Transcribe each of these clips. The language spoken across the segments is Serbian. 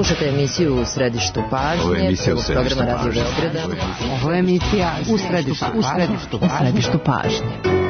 Slušajte emisiju U središtu pažnje, prvog programa Radio Beograda. Ovo je emisija U središtu pažnje.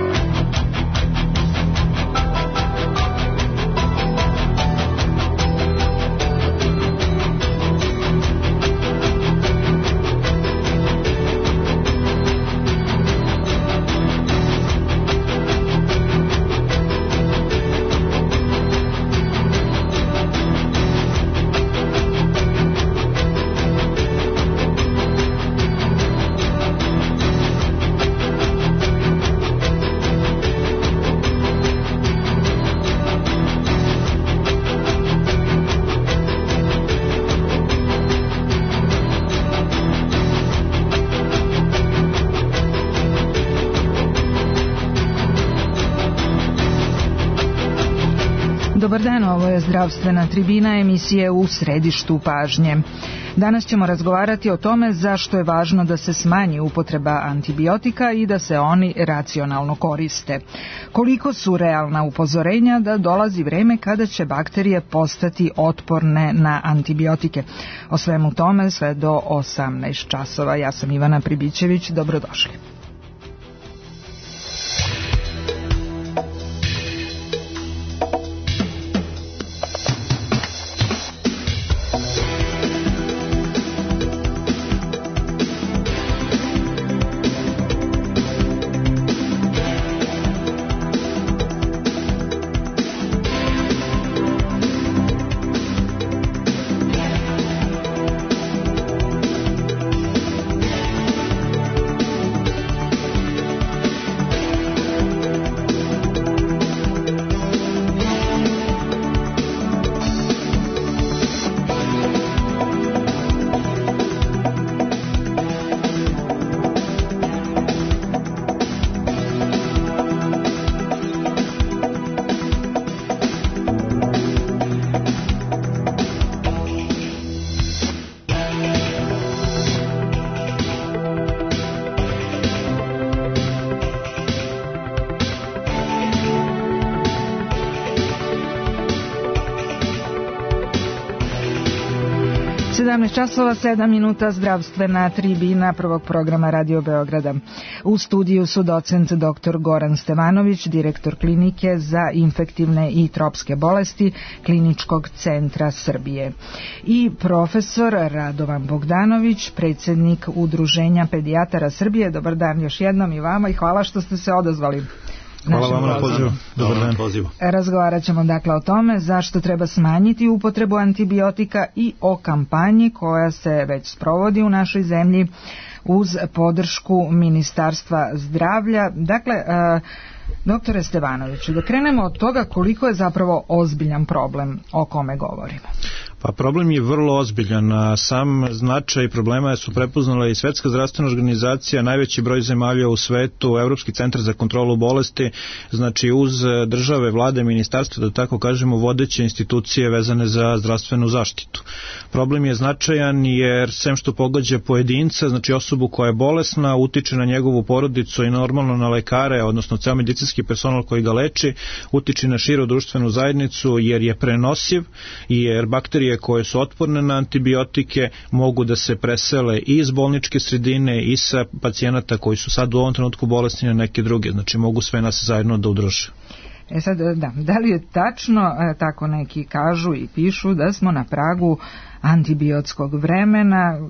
Dobar dan, ovo je zdravstvena tribina emisije U središtu pažnje. Danas ćemo razgovarati o tome zašto je važno da se smanji upotreba antibiotika i da se oni racionalno koriste. Koliko su realna upozorenja da dolazi vreme kada će bakterije postati otporne na antibiotike. O svemu tome sve do 18 časova. Ja sam Ivana Pribićević, dobrodošli. Časova 7 minuta, zdravstvena tribina prvog programa Radio Beograda. U studiju su docent dr. Goran Stevanović, direktor klinike za infektivne i tropske bolesti Kliničkog centra Srbije, i profesor Radovan Bogdanović, predsjednik Udruženja pedijatara Srbije. Dobar dan još jednom i vama i hvala što ste se odazvali. Hvala vam na pozivu. Dobar dan. Razgovarat ćemo dakle o tome zašto treba smanjiti upotrebu antibiotika i o kampanji koja se već sprovodi u našoj zemlji uz podršku Ministarstva zdravlja. Dakle, doktore Stevanoviću, da krenemo od toga koliko je zapravo ozbiljan problem o kome govorimo. Pa problem je vrlo ozbiljan, a sam značaj problema su prepoznale i Svetska zdravstvena organizacija, najveći broj zemalja u svetu, Evropski centar za kontrolu bolesti, znači uz države, vlade, ministarstva, da tako kažemo, vodeće institucije vezane za zdravstvenu zaštitu. Problem je značajan jer sem što pogađa pojedinca, znači osobu koja je bolesna, utiče na njegovu porodicu i normalno na lekare, odnosno ceo medicinski personal koji ga leči, utiče na širu društvenu zajednicu jer je prenosiv i jer bakterije koje su otporne na antibiotike mogu da se presele i iz bolničke sredine i sa pacijenata koji su sad u ovom trenutku bolesni na neke druge, znači mogu sve nas zajedno da udruže. Sad, da li je tačno, tako neki kažu i pišu, da smo na pragu antibiotskog vremena?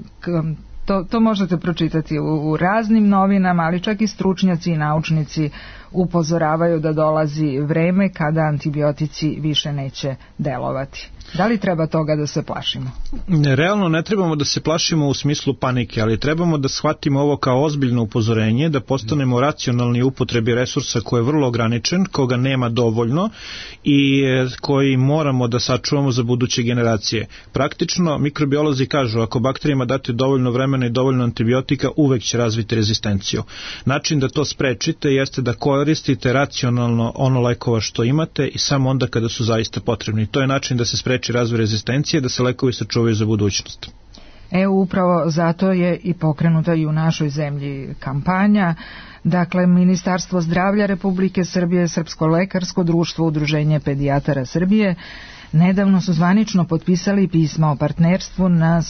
To možete pročitati u raznim novinama, ali čak i stručnjaci i naučnici upozoravaju da dolazi vreme kada antibiotici više neće delovati. Da li treba toga da se plašimo? Realno ne trebamo da se plašimo u smislu panike, ali trebamo da shvatimo ovo kao ozbiljno upozorenje, da postanemo racionalni u upotrebi resursa koji je vrlo ograničen, koga nema dovoljno i koji moramo da sačuvamo za buduće generacije. Praktično, mikrobiolozi kažu, ako bakterijama date dovoljno vremena i dovoljno antibiotika, uvek će razviti rezistenciju. Način da to sprečite jeste da koristite racionalno ono lekova što imate i samo onda kada su zaista potrebni. To je način da se spreči razvoj rezistencije, da se lekovi sačuvaju za budućnost. Upravo zato je i pokrenuta i u našoj zemlji kampanja. Dakle, Ministarstvo zdravlja Republike Srbije, Srpsko lekarsko društvo, Udruženje pedijatara Srbije nedavno su zvanično potpisali pisma o partnerstvu na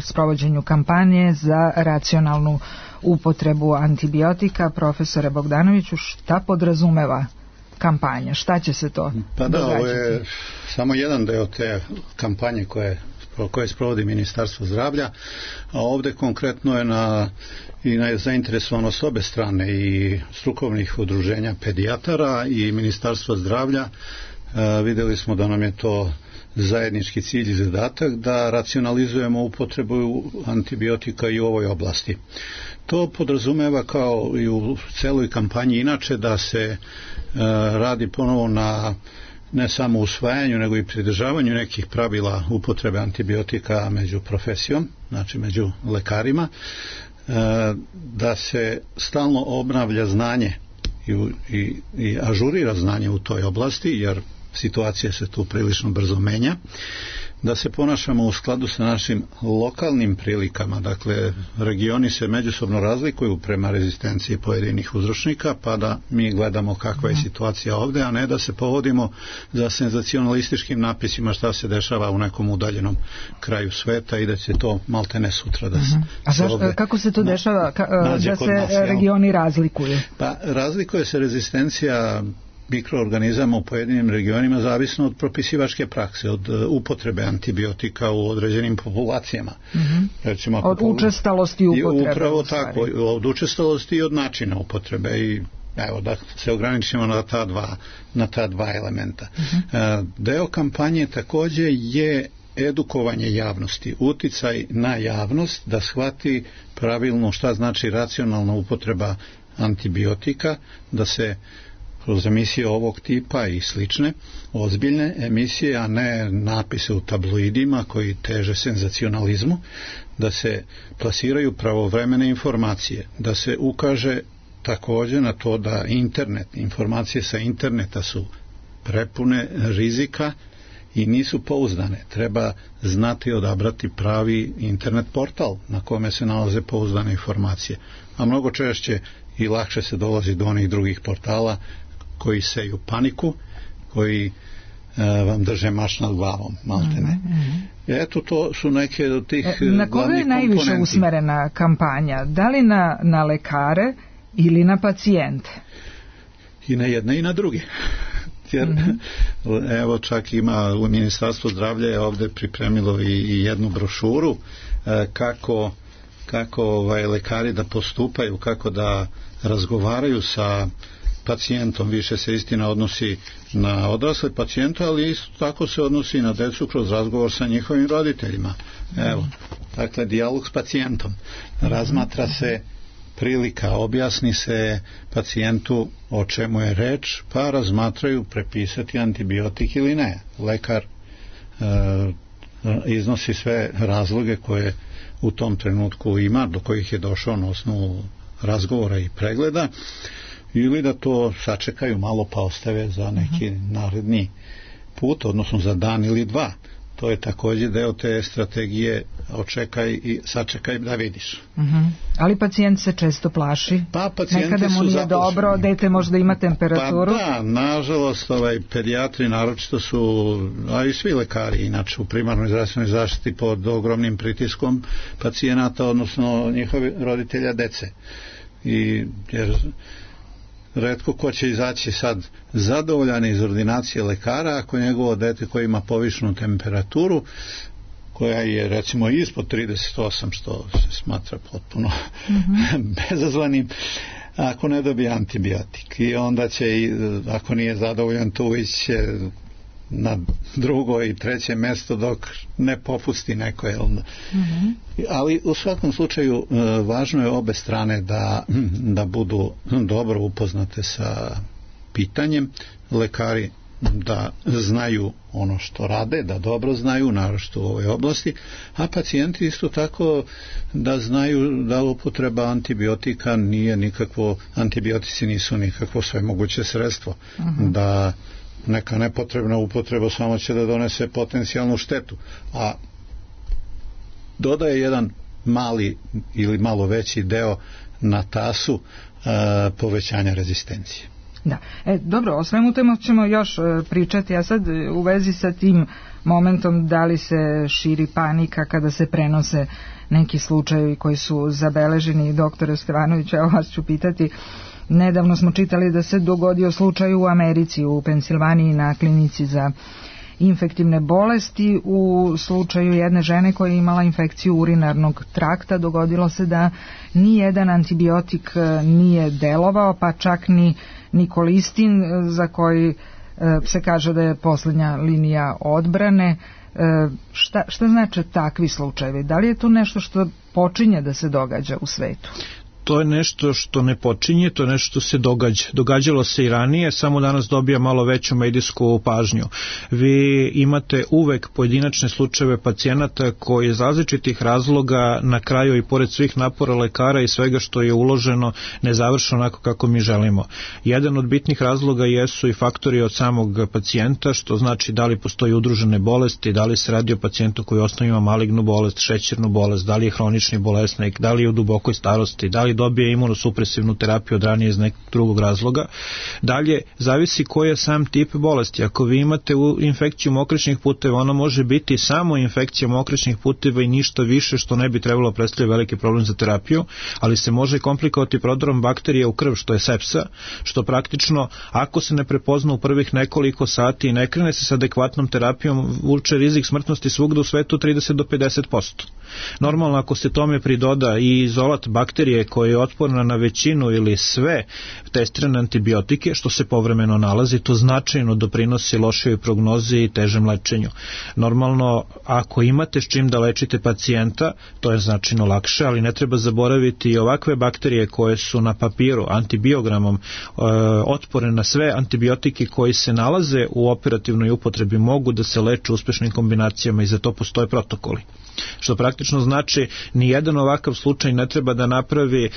sprovođenju kampanje za racionalnu upotrebu antibiotika. Profesore Bogdanoviću, šta podrazumeva kampanja? Šta će se to događati? Ovo je samo jedan deo te kampanje koje sprovodi Ministarstvo zdravlja, a ovde konkretno je na zainteresovanost obe strane, i strukovnih udruženja pedijatara i Ministarstva zdravlja. Videli smo da nam je to zajednički cilj i zadatak da racionalizujemo upotrebu antibiotika i u ovoj oblasti. To podrazumeva, kao i u celoj kampanji inače, da se radi ponovo na ne samo usvajanju, nego i pridržavanju nekih pravila upotrebe antibiotika među profesijom, znači među lekarima, da se stalno obnavlja znanje i ažurira znanje u toj oblasti, jer situacija se tu prilično brzo menja, da se ponašamo u skladu sa našim lokalnim prilikama. Dakle, regioni se međusobno razlikuju prema rezistenciji pojedinih uzročnika, pa da mi gledamo kakva je situacija ovde, a ne da se povodimo za senzacionalističkim napisima šta se dešava u nekom udaljenom kraju sveta i da će to maltene sutra da se... A kako se to dešava da se regioni razlikuju? Pa razlikuje se rezistencija mikroorganizama u pojedinim regionima zavisno od propisivačke prakse, od upotrebe antibiotika u određenim populacijama. Recimo, od učestalosti upotrebe. Upravo tako, od učestalosti i od načina upotrebe, i evo da se ograničimo na ta dva elementa. Deo kampanje takođe je edukovanje javnosti, uticaj na javnost da shvati pravilno šta znači racionalna upotreba antibiotika, da se kroz emisije ovog tipa i slične, ozbiljne emisije, a ne napise u tabloidima koji teže senzacionalizmu, da se plasiraju pravovremene informacije, da se ukaže takođe na to da informacije sa interneta su prepune rizika i nisu pouzdane. Treba znati odabrati pravi internet portal na kome se nalaze pouzdane informacije, a mnogo češće i lakše se dolazi do onih drugih portala koji seju paniku, koji vam drže mač nad glavom, maltene. Eto, to su neke od tih glavnih komponenti. Na koga je najviše usmerena kampanja? Da li na lekare ili na pacijente? I na jedne i na druge. Jer, evo, čak ima u Ministarstvu zdravlja je ovde pripremilo i jednu brošuru kako lekari da postupaju, kako da razgovaraju sa pacijentom. Više se istina odnosi na odrasle pacijente, ali isto tako se odnosi i na decu kroz razgovor sa njihovim roditeljima. Evo, dakle, dijalog s pacijentom. Razmatra se prilika, objasni se pacijentu o čemu je reč, pa razmatraju prepisati antibiotik ili ne. Lekar iznosi sve razloge koje u tom trenutku ima, do kojih je došao na osnovu razgovora i pregleda, ili da to sačekaju malo pa ostave za neki naredni put, odnosno za dan ili dva. To je takođe deo te strategije očekaj i sačekaj da vidiš. Ali pacijent se često plaši. Pa pacijenti nekada mu nije dobro, dete možda ima temperaturu. Pa da, nažalost, pedijatri naročito su, a i svi lekari inače u primarnoj zdravstvenoj zaštiti pod ogromnim pritiskom pacijenata, odnosno njihovi roditelja dece. Jer retko ko će izaći sad zadovoljan iz ordinacije lekara ako njegovo dete koje ima povišenu temperaturu, koja je recimo ispod 38, što se smatra potpuno bezazvanim, ako ne dobije antibiotik. I onda će, ako nije zadovoljan, tu ići na drugo i treće mesto dok ne popusti neko. Ali u svakom slučaju važno je obe strane da budu dobro upoznate sa pitanjem, lekari da znaju ono što rade, da dobro znaju, naročito u ovoj oblasti, a pacijenti isto tako da znaju da upotreba antibiotika nije nikakvo, antibiotici nisu nikakvo svemoguće sredstvo, da neka nepotrebna upotreba samo će da donese potencijalnu štetu, a dodaje jedan mali ili malo veći deo na tasu povećanja rezistencije. Da. Dobro, o svemu temu ćemo još pričati, a sad u vezi sa tim momentom da li se širi panika kada se prenose neki slučajevi koji su zabeleženi. Doktore Stevanović, evo vas ću pitati, nedavno smo čitali da se dogodio slučaj u Americi, u Pensilvaniji na klinici za infektivne bolesti. U slučaju jedne žene koja je imala infekciju urinarnog trakta dogodilo se da nijedan antibiotik nije delovao, pa čak ni nikolistin, za koji se kaže da je posljednja linija odbrane. Šta znači takvi slučajevi? Da li je to nešto što počinje da se događa u svetu? To je nešto što ne počinje, to je nešto što se događa. Događalo se i ranije, samo danas dobija malo veću medijsku pažnju. Vi imate uvek pojedinačne slučajeve pacijenata koji iz različitih razloga na kraju i pored svih napora lekara i svega što je uloženo ne završe onako kako mi želimo. Jedan od bitnih razloga jesu i faktori od samog pacijenta, što znači da li postoji udružene bolesti, da li se radi o pacijentu koji osnovno ima malignu bolest, šećernu bolest, da li je hronični bolesnik, da li je u dubokoj starosti, da li dobije imunosupresivnu terapiju od ranije iz nekog drugog razloga. Dalje, zavisi koji je sam tip bolesti. Ako vi imate infekciju mokraćnih puteva, ona može biti samo infekcija mokraćnih puteva i ništa više, što ne bi trebalo predstavljati veliki problem za terapiju, ali se može komplikovati prodorom bakterije u krv, što je sepsa, što praktično, ako se ne prepozna u prvih nekoliko sati i ne krene se sa adekvatnom terapijom, vuče rizik smrtnosti svugde u svetu 30 do 50%. Normalno, ako se tome pridoda i izolat bakterije koja je otporna na većinu ili sve testirane antibiotike, što se povremeno nalazi, to značajno doprinosi lošoj prognozi i težem lečenju. Normalno, ako imate s čim da lečite pacijenta, to je značajno lakše, ali ne treba zaboraviti i ovakve bakterije koje su na papiru antibiogramom otporne na sve antibiotike koji se nalaze u operativnoj upotrebi, mogu da se leče uspešnim kombinacijama i za to postoje protokoli. Što praktično znači ni jedan ovakav slučaj ne treba da napravi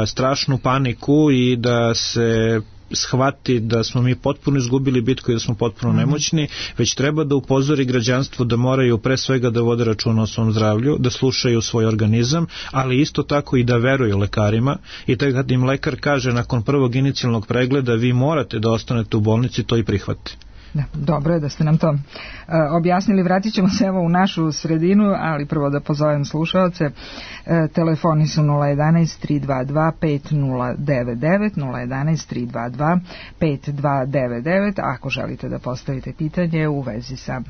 strašnu paniku i da se shvati da smo mi potpuno izgubili bitku i da smo potpuno nemoćni, već treba da upozori građanstvo da moraju pre svega da vode računa o svom zdravlju, da slušaju svoj organizam, ali isto tako i da veruju lekarima, i tako kad im lekar kaže nakon prvog inicijalnog pregleda vi morate da ostanete u bolnici, to i prihvati. Da, dobro je da ste nam to objasnili. Vratit ćemo se evo u našu sredinu, ali prvo da pozovem slušaoce. Telefoni su 011-322-5099, 011-322-5299, ako želite da postavite pitanje u vezi sa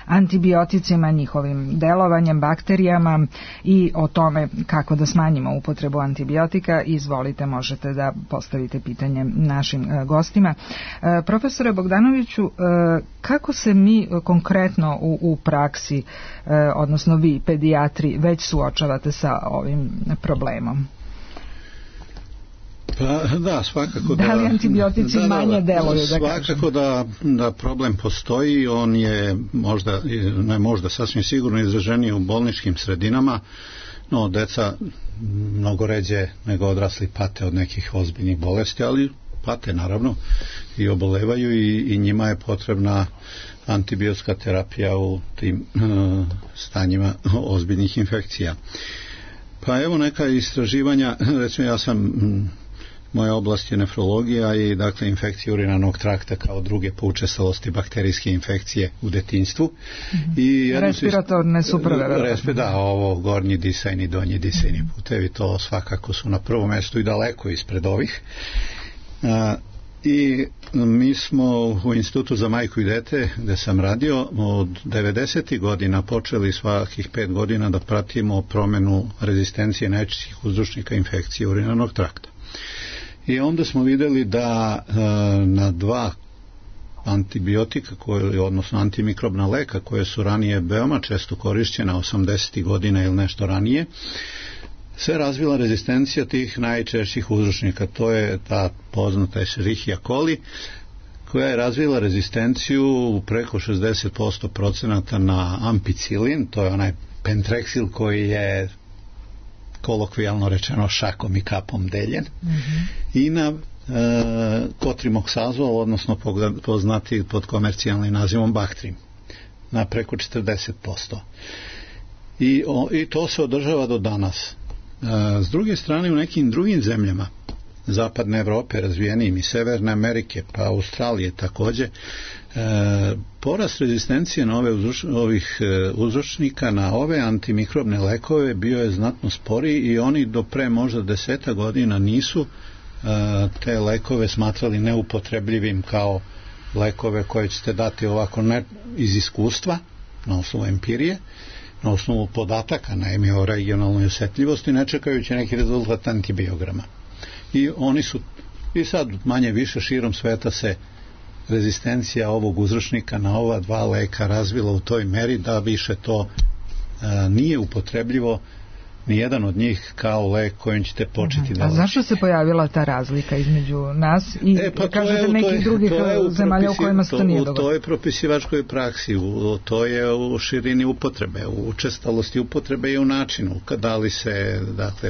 antibioticima, njihovim delovanjem, bakterijama i o tome kako da smanjimo upotrebu antibiotika. Izvolite, možete da postavite pitanje našim gostima. Profesore Bogdanoviću, kako se mi konkretno u praksi, odnosno vi pedijatri, već suočavate sa ovim problemom? Pa, da, svakako da li antibiotici manje deluju, da kažem? Svakako da problem postoji, on je možda sasvim sigurno izraženiji u bolničkim sredinama, no deca mnogo ređe nego odrasli pate od nekih ozbiljnih bolesti, ali pate naravno i obolevaju i njima je potrebna antibiotska terapija u tim stanjima ozbiljnih infekcija. Pa evo neka istraživanja, recimo moja oblast je nefrologija i dakle infekcije urinarnog trakta kao druge po učestalosti bakterijske infekcije u detinjstvu. I respiratorne su prve. Da, ovo gornji disajni, donji disajni putevi, to svakako su na prvom mjestu i daleko ispred ovih. I mi smo u Institutu za majku i dete, gde sam radio, od 90. godina počeli svakih 5 godina da pratimo promenu rezistencije najčešćih uzročnika infekcije urinarnog trakta. I onda smo videli da na 2 antibiotika, odnosno antimikrobna leka, koje su ranije veoma često korišćena 80. godina ili nešto ranije, se razvila rezistencija tih najčešćih uzročnika. To je ta poznata Escherichia coli, koja je razvila rezistenciju preko 60% na ampicilin, to je onaj pentrexil koji je kolokvijalno rečeno šakom i kapom deljen, i na kotrimoksazol, odnosno poznati pod komercijalnim nazivom Bactrim, na preko 40%. i to se održava do danas. S druge strane, u nekim drugim zemljama zapadne Evrope, razvijenijim i Severne Amerike, pa Australije također, porast rezistencije na ovih uzročnika na ove antimikrobne lekove bio je znatno sporiji i oni do pre možda 10 godina nisu te lekove smatrali neupotrebljivim kao lekove koje ćete dati ovako ne iz iskustva, na osnovu empirije, na osnovu podataka, naime o regionalnoj osjetljivosti, ne čekajući neki rezultat antibiograma. I oni su, i sad manje više širom sveta se rezistencija ovog uzročnika na ova dva leka razvila u toj meri da više to nije upotrebljivo ni jedan od njih kao lek kojim ćete početi da... A zašto se pojavila ta razlika između nas i kažete nekih drugih zemalja u kojima se to nije dogodilo? To je propisivačkoj praksi, to je u širini upotrebe, u učestalosti upotrebe i u načinu da li se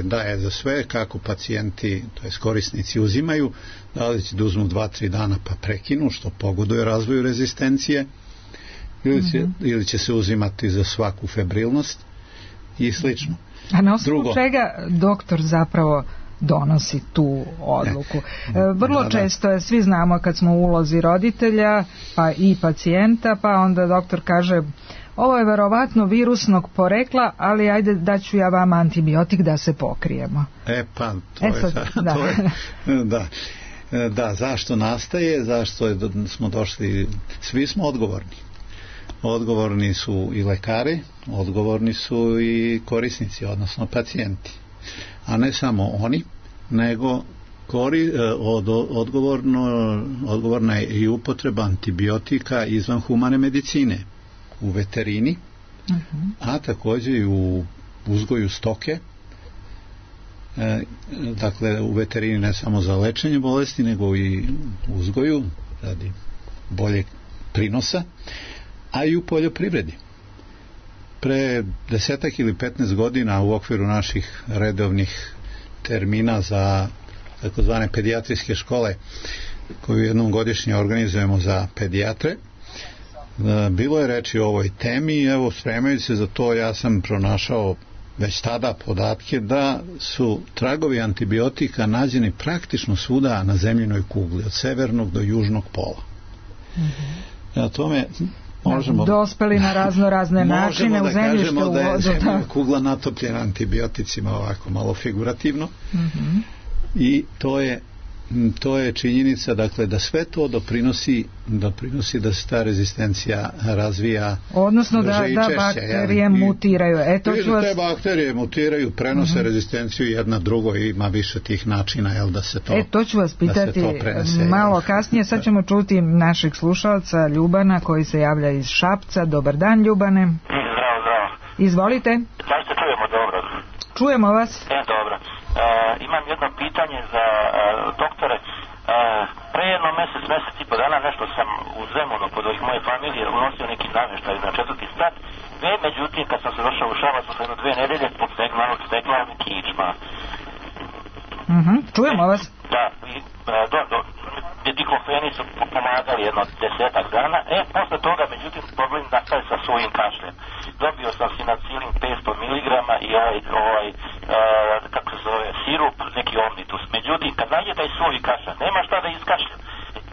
daje za sve, kako pacijenti, to jest korisnici uzimaju, da li će da uzmu 2-3 dana pa prekinu, što pogoduje razvoju rezistencije, ili će se uzimati za svaku febrilnost i slično. A na osnovu čega doktor zapravo donosi tu odluku? Vrlo često je, svi znamo kad smo u ulozi roditelja pa i pacijenta, pa onda doktor kaže ovo je verovatno virusnog porekla, ali ajde daću ja vama antibiotik da se pokrijemo. Zašto nastaje, zašto smo došli, svi smo odgovorni. Odgovorni su i lekari, odgovorni su i korisnici, odnosno pacijenti. A ne samo oni, nego odgovorna je i upotreba antibiotika izvan humane medicine, u veterini, a također i u uzgoju stoke. Dakle, u veterini ne samo za lečenje bolesti, nego i uzgoju radi boljeg prinosa, a i u poljoprivredi. Pre 10 ili 15 godina u okviru naših redovnih termina za takozvane pedijatrijske škole koju jednom godišnje organizujemo za pedijatre, bilo je reči o ovoj temi i evo, spremajući se za to, ja sam pronašao već tada podatke da su tragovi antibiotika nađeni praktično svuda na zemljinoj kugli, od severnog do južnog pola. Na tome možemo dospeli na razne načine u zemljište, u vodu. Da je zemljina kugla natopljena antibioticima, ovako malo figurativno. I to je činjenica, dakle, da sve to doprinosi da se ta rezistencija razvija, odnosno da bakterije mutiraju. Te bakterije mutiraju, prenose rezistenciju jedna drugo i ima više tih načina da se to to ću vas pitati malo kasnije. Sad ćemo čuti našeg slušalca Ljubana koji se javlja iz Šapca. Dobar dan, Ljubane. Zdravo. Izvolite. Da li se čujemo dobro? Čujemo vas. Dobro. Imam jedno pitanje za doktore. Pre jedno mesec i po dana nešto sam u Zemunu kod ovih moje familije unosio neki namještaj na 4. sprat. Međutim, kad sam se došao u Šabac, sam 2 nedelje stekla kičma. Čujemo vas. Da, diklofeni su pomagali jedno 10 dana. Posle toga, međutim, problem nastaje sa svojim kašljem. Dobio sam sinacilin 500 mg i kako se zove, sirup, neki omnitus. Međutim, kad nađe taj svoj kašalj, nema šta da iskašlja.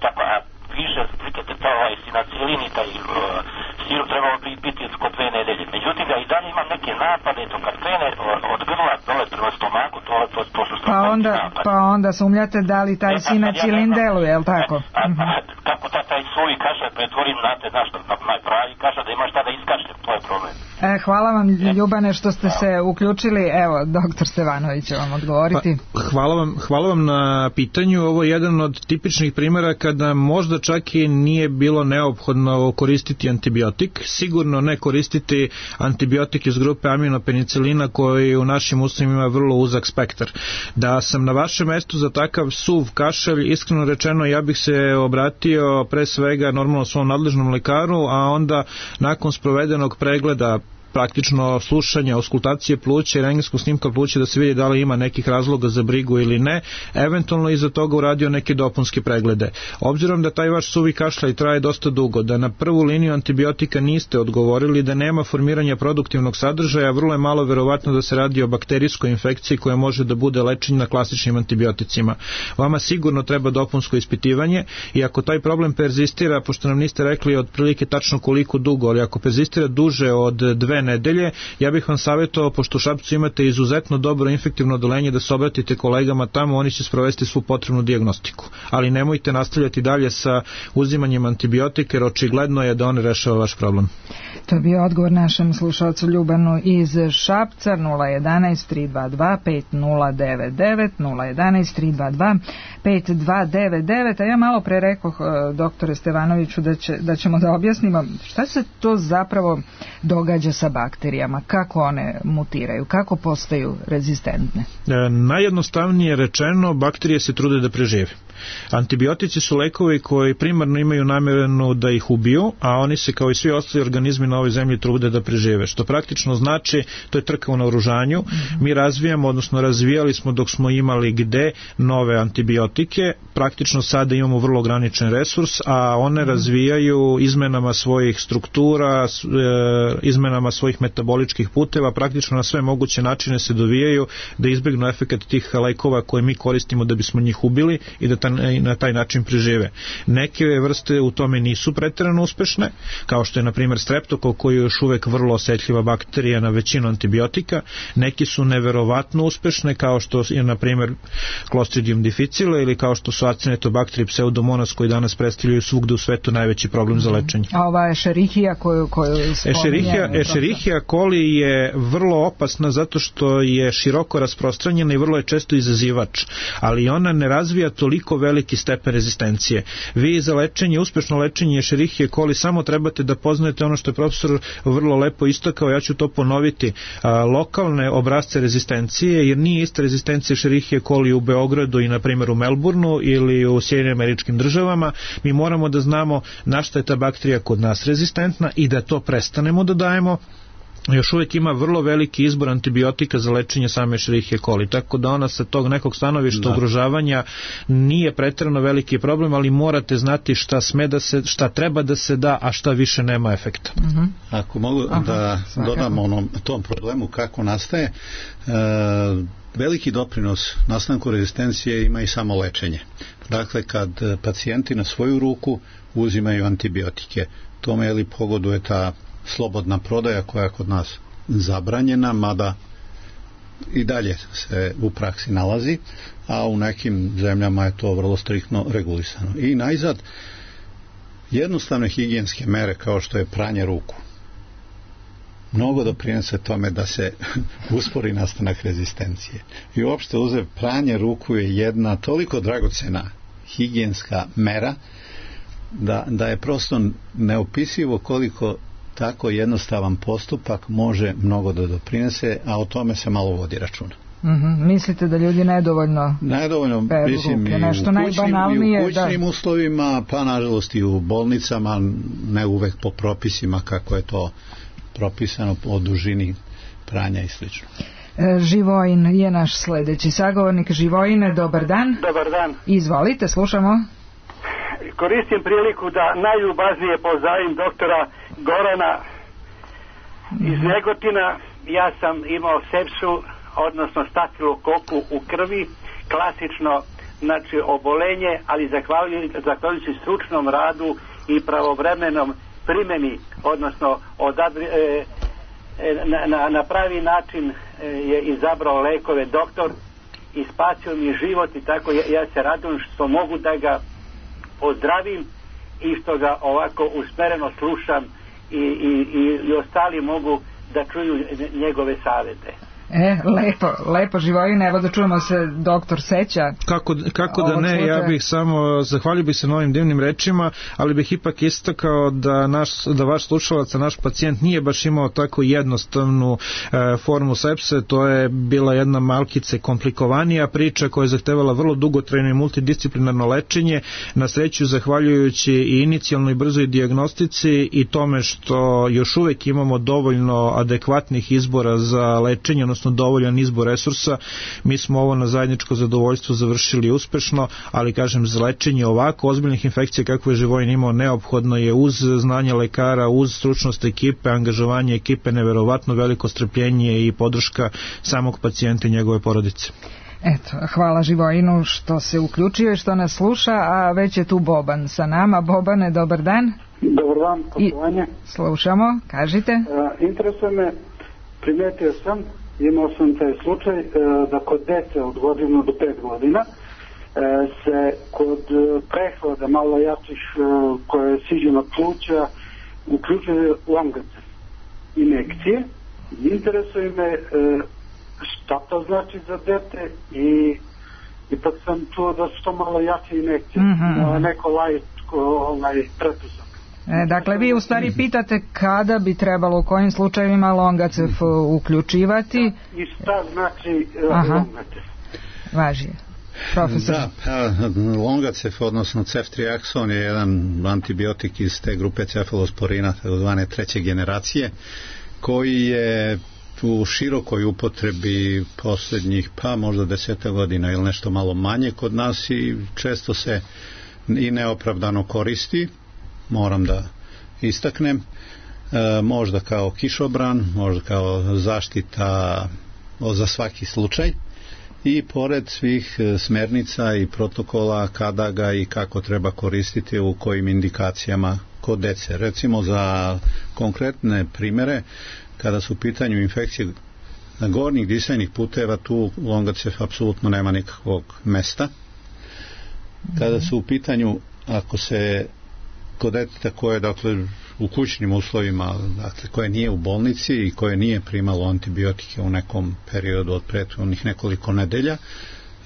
Tako, a više slikate taj sinacilin i taj sirup trebao biti kod 2 nedelje. Međutim, ja i dalje imam neke napade, to kad krene od grla dole prema stomaku, to su pa onda sumnjate da li taj sinacilin deluje, je li tako? Kako taj svoj kašalj pretvorim na pravi kašalj, da ima šta da iskašljem, to je problem. Hvala vam, Ljubane, što ste se uključili. Evo, doktor Stevanović će vam odgovoriti. Hvala vam na pitanju. Ovo je jedan od tipičnih primjera kada možda čak i nije bilo neophodno koristiti antibiotik. Sigurno ne koristiti antibiotik iz grupe aminopenicilina koji u našim uslovima ima vrlo uzak spektar. Da sam na vašem mjestu za takav suv kašalj, iskreno rečeno, ja bih se obratio pre svega normalno svom nadležnom lekaru, a onda nakon sprovedenog pregleda praktično slušanja, auskultacije pluća i rentgenskog snimka pluća da se vidi da li ima nekih razloga za brigu ili ne, eventualno iza toga uradio neke dopunske preglede. Obzirom da taj vaš suvi kašljaj traje dosta dugo, da na prvu liniju antibiotika niste odgovorili, da nema formiranja produktivnog sadržaja, vrlo je malo verovatno da se radi o bakterijskoj infekciji koja može da bude lečenja klasičnim antibioticima. Vama sigurno treba dopunsko ispitivanje i ako taj problem perzistira, pošto nam niste rekli otprilike tačno koliko dugo, ali ako perzistira duže od 2 nedelje, ja bih vam savjetovao, pošto u Šapcu imate izuzetno dobro infektivno odeljenje, da se obratite kolegama tamo, oni će sprovesti svu potrebnu dijagnostiku. Ali nemojte nastavljati dalje sa uzimanjem antibiotika, jer očigledno je da on rešava vaš problem. To je bio odgovor našem slušalcu Ljubanu iz Šapca. 011-322-5099 011-322-5299. A ja malo pre rekoh doktore Stevanoviću da ćemo da objasnimo šta se to zapravo događa sa bakterijama, kako one mutiraju, kako postaju rezistentne. Najjednostavnije rečeno, bakterije se trude da prežive. Antibiotici su lekovi koji primarno imaju namjeru da ih ubiju, a oni se kao i svi ostali organizmi na ovoj zemlji trude da prežive. Što praktično znači, to je trka u naoružanju. Mi razvijamo, odnosno razvijali smo dok smo imali gde nove antibiotike. Praktično sada imamo vrlo ograničen resurs, a one razvijaju izmenama svojih struktura, izmenama svojih metaboličkih puteva, praktično na sve moguće načine se dovijaju da izbjegnu efekat tih lekova koje mi koristimo da bismo njih ubili i da na taj način prežive. Neke vrste u tome nisu pretjerano uspešne, kao što je na primjer streptokok, koji je još uvek vrlo osetljiva bakterija na većinu antibiotika. Neki su neverovatno uspešne, kao što je na primjer Clostridium difficile ili kao što su Acinetobacter i Pseudomonas, koji danas predstavljaju svugde u svetu najveći problem za lečenje. A ova Escherichia koju Escherichia coli je vrlo opasna zato što je široko rasprostranjena i vrlo je često izazivač, ali ona ne razvija toliko veliki stepen rezistencije. Vi za lečenje, uspešno lečenje Escherichia coli samo trebate da poznajete ono što je profesor vrlo lepo istakao, ja ću to ponoviti, lokalne obrazce rezistencije, jer nije ista rezistencija Escherichia coli u Beogradu i na primjer u Melbourneu ili u Sjedinjenim Američkim Državama. Mi moramo da znamo na šta je ta bakterija kod nas rezistentna i da to prestanemo da dajemo. Još uvijek ima vrlo veliki izbor antibiotika za lečenje same Escherichia coli, tako da ona sa tog nekog stanovišta ugrožavanja nije pretjerano veliki problem, ali morate znati šta treba da se da, a šta više nema efekta. Ako mogu da dodam tom problemu kako nastaje, veliki doprinos nastanku rezistencije ima i samo lečenje. Dakle, kad pacijenti na svoju ruku uzimaju antibiotike, tome je li pogoduje ta slobodna prodaja koja je kod nas zabranjena, mada i dalje se u praksi nalazi, a u nekim zemljama je to vrlo striktno regulisano. I najzad, jednostavne higijenske mere kao što je pranje ruku mnogo doprinese tome da se uspori nastanak rezistencije. I uopšte pranje ruku je jedna toliko dragocena higijenska mera da je prosto neopisivo koliko tako jednostavan postupak može mnogo da doprinese, a o tome se malo vodi računa. Mislite da ljudi nedovoljno mislim, i u kućnim uslovima, pa nažalost i u bolnicama, ne uvek po propisima kako je to propisano o dužini pranja i slično. Živojin je naš sljedeći sagovornik. Živojine, dobar dan. Dobar dan. Izvolite, slušamo. Koristim priliku da najljubaznije pozdravim doktora Gorana iz Negotina. Ja sam imao sepsu, odnosno stafilokoku u krvi, klasično, znači obolenje, ali zahvaljujući stručnom radu i pravovremenom primjeni, odnosno na pravi način je izabrao lekove doktor i spasio mi život i tako ja se radujem što mogu da ga pozdravim i što ga ovako usmereno slušam i ostali mogu da čuju njegove savjete. Lepo Živojine, evo da čujemo se doktor seća. Kako da ne, ja bih samo zahvalio bih se na ovim divnim rečima, ali bih ipak istakao da vaš slušalac, naš pacijent nije baš imao tako jednostavnu formu sepse, to je bila jedna malkice komplikovanija priča koja je zahtevala vrlo dugotrajno i multidisciplinarno lečenje, na sreću zahvaljujući i inicijalnoj brzoj dijagnostici i tome što još uvek imamo dovoljno adekvatnih izbora za lečenje, odnosno dovoljan izbor resursa, mi smo ovo na zajedničko zadovoljstvo završili uspešno, ali kažem, za lečenje ovako ozbiljnih infekcija kako je Živojin imao, neophodno je uz znanje lekara, uz stručnost ekipe, angažovanje ekipe, neverovatno veliko strpljenje i podrška samog pacijenta i njegove porodice. Eto, hvala Živojinu što se uključio i što nas sluša, a već je tu Boban sa nama. Bobane, dobar dan. Dobar dan, poštovanje. Slušamo, kažite. Interesuje me, primetio sam, imao sam taj slučaj da kod dece od godinu do 5 godina se kod prehlada malo jačih koje siđu na pluća uključuje Longacev injekcije. Interesuje me šta to znači za dete i ipak sam čuo da su to malo jače injekcije, neko laičko pretpostavka. Dakle, vi u stvari pitate kada bi trebalo u kojim slučajevima Longacev uključivati. I šta znači Longacev? Važi. Profesor. Da, Longacev, odnosno ceftriakson je jedan antibiotik iz te grupe cefalosporina, takozvane treće generacije, koji je u širokoj upotrebi posljednjih možda 10 godina ili nešto malo manje kod nas i često se i neopravdano koristi, moram da istaknem, možda kao kišobran, možda kao zaštita za svaki slučaj i pored svih smernica i protokola kada ga i kako treba koristiti u kojim indikacijama kod dece. Recimo za konkretne primere, kada su u pitanju infekcije gornjih disajnih puteva, tu Longacev apsolutno nema nikakvog mesta. Kada su u pitanju, ako se kod deteta koje, dakle, u kućnim uslovima, dakle, koje nije u bolnici i koje nije primalo antibiotike u nekom periodu od prethodnih nekoliko nedelja,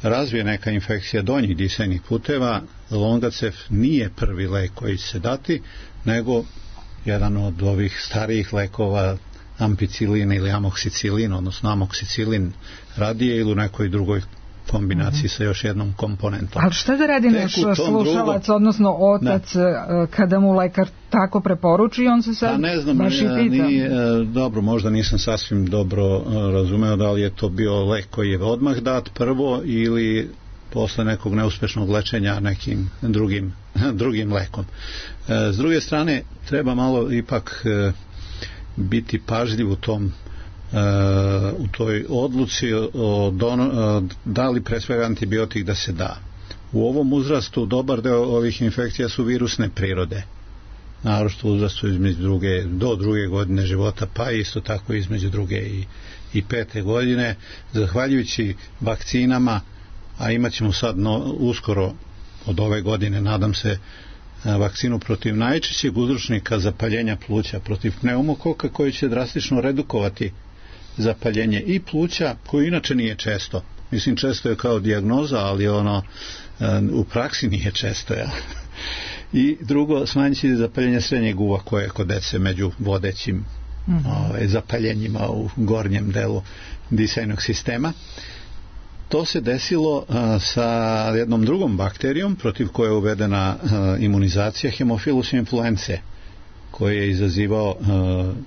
razvije neka infekcija donjih disajnih puteva, Longacev nije prvi lek koji će se dati, nego jedan od ovih starijih lekova, ampicilin ili amoksicilin, odnosno amoksicilin radije ili u nekoj drugoj kombinaciji sa još jednom komponentom. Ali šta da radi naš slušalac, odnosno otac, kada mu lekar tako preporuči i on se sad baš i pita? Dobro, možda nisam sasvim dobro razumeo da li je to bio lek koji je odmah dat prvo ili posle nekog neuspešnog lečenja nekim drugim lekom. S druge strane, treba malo ipak biti pažljiv u toj odluci da li pre svega antibiotik da se da. U ovom uzrastu dobar deo ovih infekcija su virusne prirode, naročito u uzrastu do 2. godine života, pa isto tako između 2. i 5. godine. Zahvaljujući vakcinama, a imat ćemo sad uskoro od ove godine, nadam se, vakcinu protiv najčešćeg uzročnika zapaljenja pluća, protiv pneumokoka, koji će drastično redukovati zapaljenje i pluća, koji inače nije često. Mislim, često je kao dijagnoza, ali u praksi nije često. Ja. I drugo, smanjit će zapaljenje srednjeg uva, koje je kod dece među vodećim zapaljenjima u gornjem delu disajnog sistema. To se desilo sa jednom drugom bakterijom protiv koje je uvedena imunizacija, Haemophilus influenzae, koji je izazivao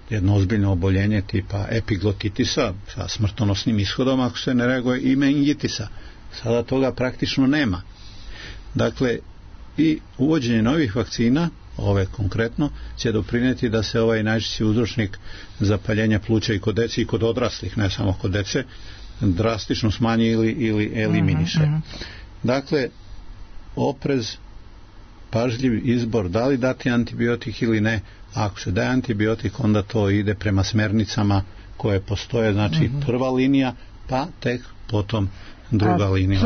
jedno ozbiljno oboljenje tipa epiglotitisa sa smrtonosnim ishodom ako se ne reaguje, i meningitisa. Sada toga praktično nema. Dakle, i uvođenje novih vakcina, ove konkretno, će doprineti da se ovaj najčešći uzročnik zapaljenja pluća i kod dece i kod odraslih, ne samo kod dece, drastično smanji ili eliminiše. Dakle, oprez, pažljiv izbor da li dati antibiotik ili ne. Ako se daje antibiotik, onda to ide prema smernicama koje postoje, znači prva linija, pa tek potom druga linija.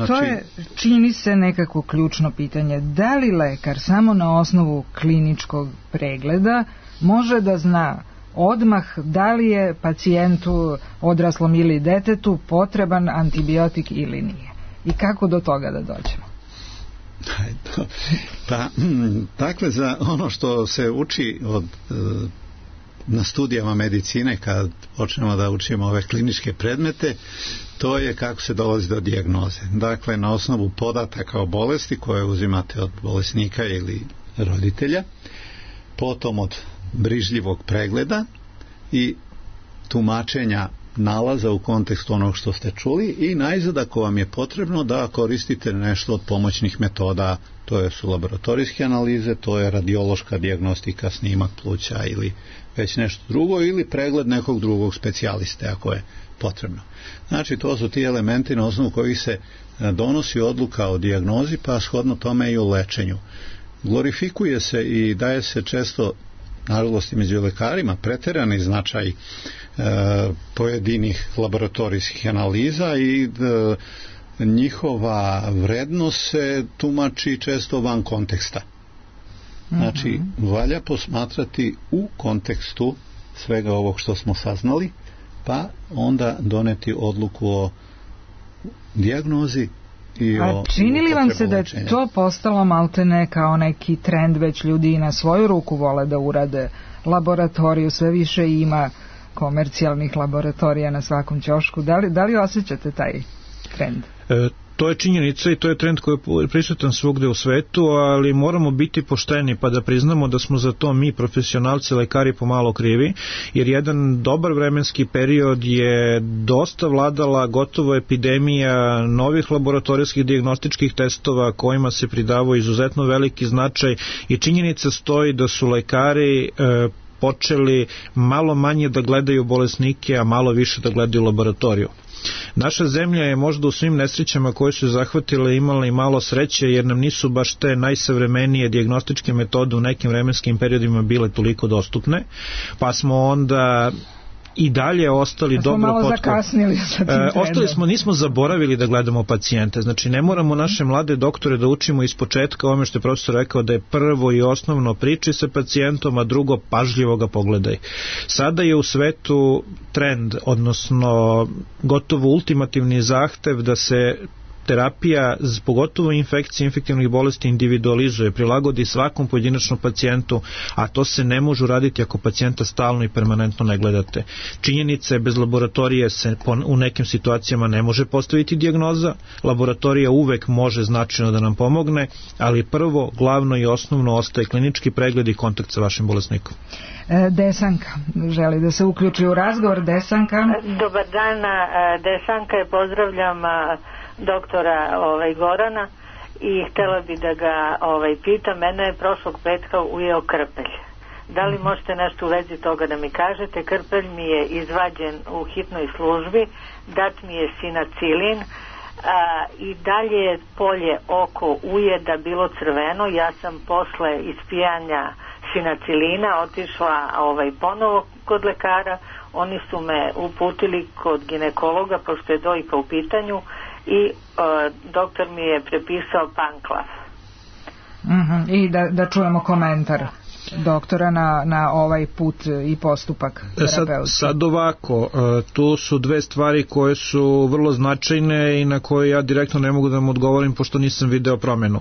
To je, čini se, nekako ključno pitanje. Da li lekar samo na osnovu kliničkog pregleda može da zna odmah da li je pacijentu, odraslom ili detetu, potreban antibiotik ili nije. I kako do toga da dođemo? Pa, dakle, za ono što se uči na studijama medicine, kad počnemo da učimo ove kliničke predmete, to je kako se dolazi do dijagnoze. Dakle, na osnovu podataka o bolesti koje uzimate od bolesnika ili roditelja, potom od brižljivog pregleda i tumačenja nalaza u kontekstu onog što ste čuli i najzad ako vam je potrebno da koristite nešto od pomoćnih metoda, to su laboratorijske analize, to je radiološka dijagnostika, snimak pluća ili već nešto drugo ili pregled nekog drugog specijaliste ako je potrebno. Znači to su ti elementi na osnovu kojih se donosi odluka o dijagnozi pa shodno tome i o lečenju. Glorifikuje se i daje se često, nažalost i među lekarima, preterani značaj pojedinih laboratorijskih analiza i njihova vrednost se tumači često van konteksta. Znači, valja posmatrati u kontekstu svega ovog što smo saznali, pa onda doneti odluku o dijagnozi i o... A čini li vam se da je to postalo maltene kao neki trend, već ljudi na svoju ruku vole da urade laboratoriju, sve više ima komercijalnih laboratorija na svakom ćošku. Da li osjećate taj trend? To je činjenica i to je trend koji je prisutan svugde u svetu, ali moramo biti pošteni pa da priznamo da smo za to mi, profesionalci, lekari, pomalo krivi, jer jedan dobar vremenski period je dosta vladala gotovo epidemija novih laboratorijskih dijagnostičkih testova kojima se pridavao izuzetno veliki značaj i činjenica stoji da su lekari počeli malo manje da gledaju bolesnike, a malo više da gledaju laboratoriju. Naša zemlja je možda u svim nesrećama koje su zahvatile imala i malo sreće jer nam nisu baš te najsavremenije dijagnostičke metode u nekim vremenskim periodima bile toliko dostupne, pa smo onda i dalje ostali dobro zakasnili sa tim ostali smo, nismo zaboravili da gledamo pacijente, znači ne moramo naše mlade doktore da učimo iz početka ovome što je profesor rekao da je prvo i osnovno priči sa pacijentom, a drugo pažljivo ga pogledaj. Sada je u svetu trend, odnosno gotovo ultimativni zahtev da se terapija, pogotovo infekcije, infektivnih bolesti individualizuje, prilagodi svakom pojedinačnom pacijentu, a to se ne može uraditi ako pacijenta stalno i permanentno ne gledate. Činjenica je, bez laboratorije se u nekim situacijama ne može postaviti dijagnoza, laboratorija uvek može značajno da nam pomogne, ali prvo, glavno i osnovno ostaje klinički pregled i kontakt sa vašim bolesnikom. Desanka želi da se uključi u razgovor. Desanka. Dobar dan, Desanka, pozdravljam doktora Gorana i htjela bi da ga pitam. Mene je prošlog petka ujeo krpelj. Da li možete nešto u vezi toga da mi kažete? Krpelj mi je izvađen u hitnoj službi, dat mi je sinacilin i dalje je polje oko ujeda bilo crveno. Ja sam posle ispijanja sinacilina otišla ponovo kod lekara. Oni su me uputili kod ginekologa pošto je dojka u pitanju i doktor mi je prepisao Panklav. I da čujemo komentar doktora na ovaj put i postupak terapeutski. Sad ovako, tu su dve stvari koje su vrlo značajne i na koje ja direktno ne mogu da vam odgovorim pošto nisam video promenu.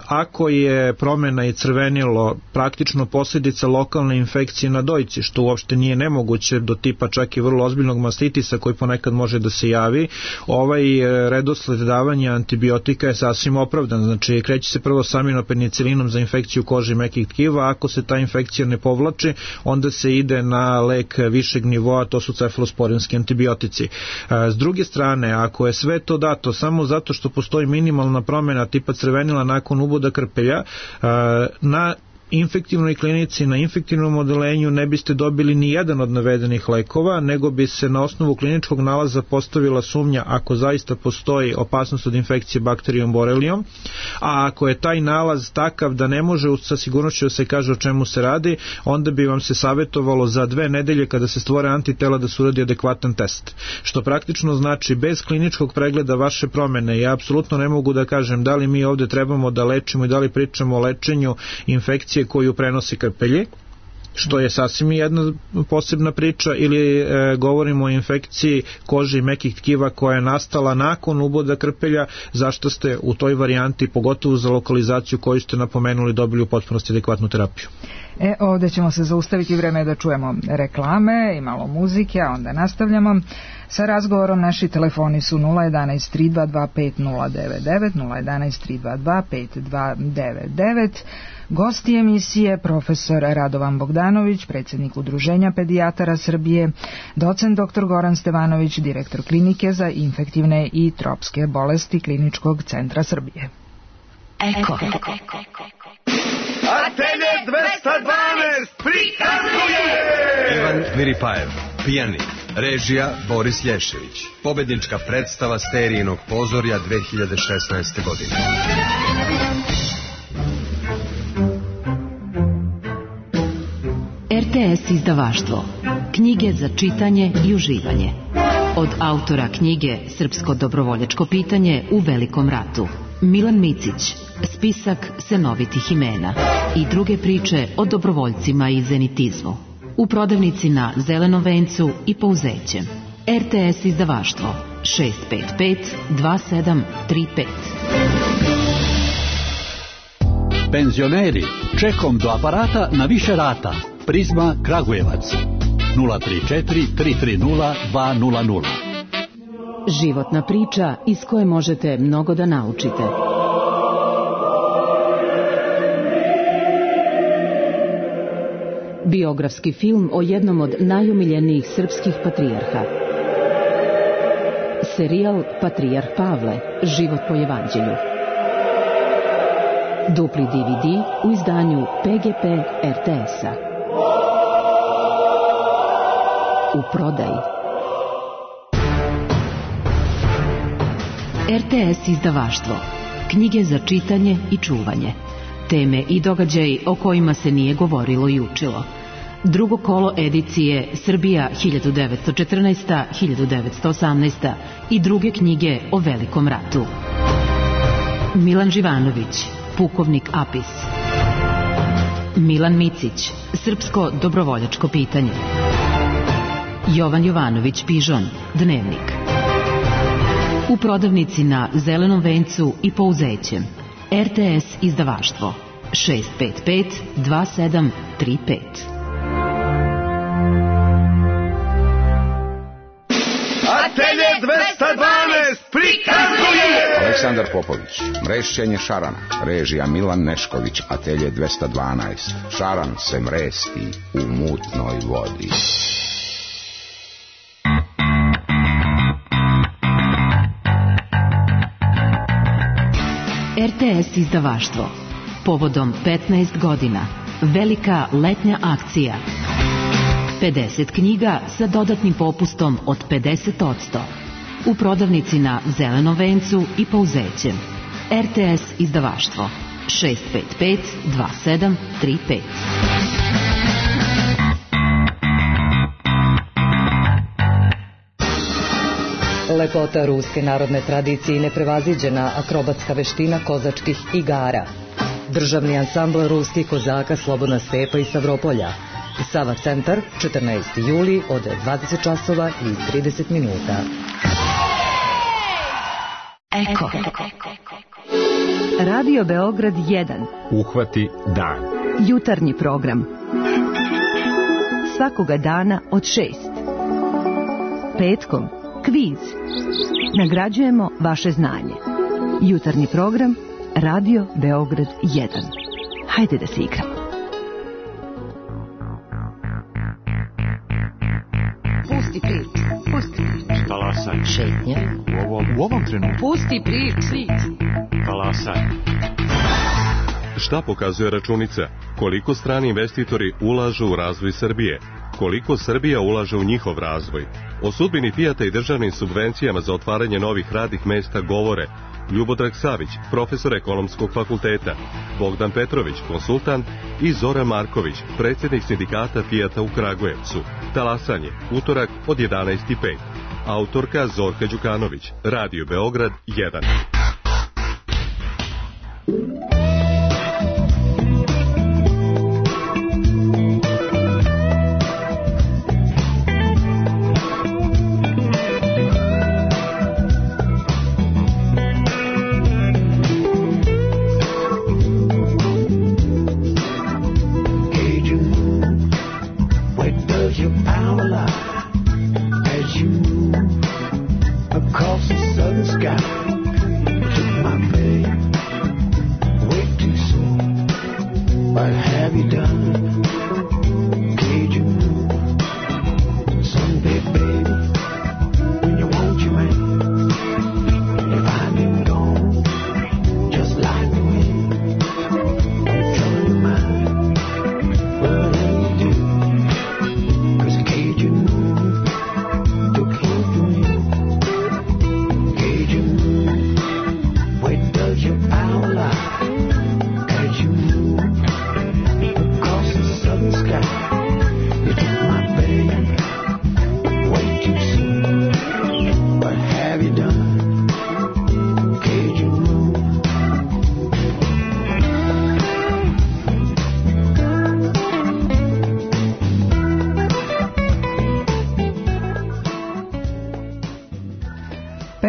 Ako je promena i crvenilo praktično posljedica lokalne infekcije na dojci, što uopšte nije nemoguće, do tipa čak i vrlo ozbiljnog mastitisa koji ponekad može da se javi, ovaj redosled davanja antibiotika je sasvim opravdan. Znači kreće se prvo s aminopenicilinom za infekciju kože i mekih tkiva, ako se ta infekcija ne povlači, onda se ide na lek višeg nivoa, to su cefalosporinski antibiotici. S druge strane, ako je sve to dato samo zato što postoji minimalna promjena tipa crvenila nakon uboda krpelja, na infektivnoj klinici, na infektivnom odelenju ne biste dobili ni jedan od navedenih lekova, nego bi se na osnovu kliničkog nalaza postavila sumnja ako zaista postoji opasnost od infekcije bakterijom borelijom, a ako je taj nalaz takav da ne može sa sigurnošću da se kaže o čemu se radi, onda bi vam se savjetovalo za 2 nedelje kada se stvore antitela da se uradi adekvatan test. Što praktično znači bez kliničkog pregleda vaše promjene, ja apsolutno ne mogu da kažem da li mi ovdje trebamo da lečimo i da li pričamo o lečenju infekcije koju prenosi krpelje, što je sasvim jedna posebna priča, ili govorimo o infekciji kože i mekih tkiva koja je nastala nakon uboda krpelja, zašto ste u toj varijanti, pogotovo za lokalizaciju koju ste napomenuli, dobili u potpunosti adekvatnu terapiju. Ovdje ćemo se zaustaviti, vreme da čujemo reklame i malo muzike, a onda nastavljamo sa razgovorom. Naši telefoni su 011 322 5099, 011 322 5299. Gosti emisije profesor Radovan Bogdanović, predsjednik Udruženja pedijatara Srbije, docent dr. Goran Stevanović, direktor klinike za infektivne i tropske bolesti Kliničkog centra Srbije. Eko. Atelje 212 prikazuje Ivan Viripajev, pijanik, režija Boris Lješević, pobednička predstava Sterijinog pozorja 2016. godine. RTS izdavaštvo. Knjige za čitanje i uživanje. Od autora knjige Srpsko dobrovoljačko pitanje u Velikom ratu, Milan Micić, spisak senovitih imena i druge priče o dobrovoljcima i zenitizmu. U prodavnici na Zelenom vencu i Pouzećem. RTS izdavaštvo 655 2735. Penzioneri, čekom do aparata na više rata. Prizma Kragujevac 034 330 200. Životna priča iz koje možete mnogo da naučite. Biografski film o jednom od najomiljenijih srpskih patrijarha. Serijal Patrijarh Pavle, život po evanđelju. Dupli DVD u izdanju PGP RTS-a. U prodaji. RTS izdavaštvo. Knjige za čitanje i čuvanje. Teme i događaji o kojima se nije govorilo i učilo. Drugo kolo edicije Srbija 1914-1918 i druge knjige o Velikom ratu. Milan Živanović, pukovnik Apis. Milan Micić, Srpsko dobrovoljačko pitanje. Jovan Jovanović Pižon, Dnevnik. U prodavnici na Zelenom vencu i Pouzećem. RTS izdavaštvo 655 2735. Atelje 212 prikazuje Aleksandar Popović, mrešćenje šarana, režija Milan Nešković, Atelje 212. Šaran se mresti u mutnoj vodi. RTS izdavaštvo. Povodom 15 godina. Velika letnja akcija. 50 knjiga sa dodatnim popustom od 50%. U prodavnici na Zelenom vencu i Pouzećem. RTS izdavaštvo 655 2735. Lepota ruske narodne tradicije i neprevaziđena akrobatska veština kozačkih igara. Državni ansambl ruskih kozaka Slobodna stepa i Stavropolja. Sava centar, 14. juli od 20 časova i 30 minuta. Eko. Radio Beograd 1. Uhvati dan. Jutarnji program. Svakoga dana od 6. Petkom kviz. Nagrađujemo vaše znanje. Jutarnji program Radio Beograd 1. Hajde da se igramo. Pusti priču. Pusti priču. Talasaj. Šetnja. U ovom trenutku. Pusti priču. Talasaj. Šta pokazuje računica? Koliko strani investitori ulažu u razvoj Srbije? Koliko Srbija ulaže u njihov razvoj? O sudbini Fijata i državnim subvencijama za otvaranje novih radnih mesta govore Ljubodrag Savić, profesor ekonomskog fakulteta, Bogdan Petrović, konsultant, i Zoran Marković, predsjednik sindikata Fijata u Kragujevcu. Talasanje, utorak od 11:05. Autorka Zorka Đukanović, Radio Beograd 1.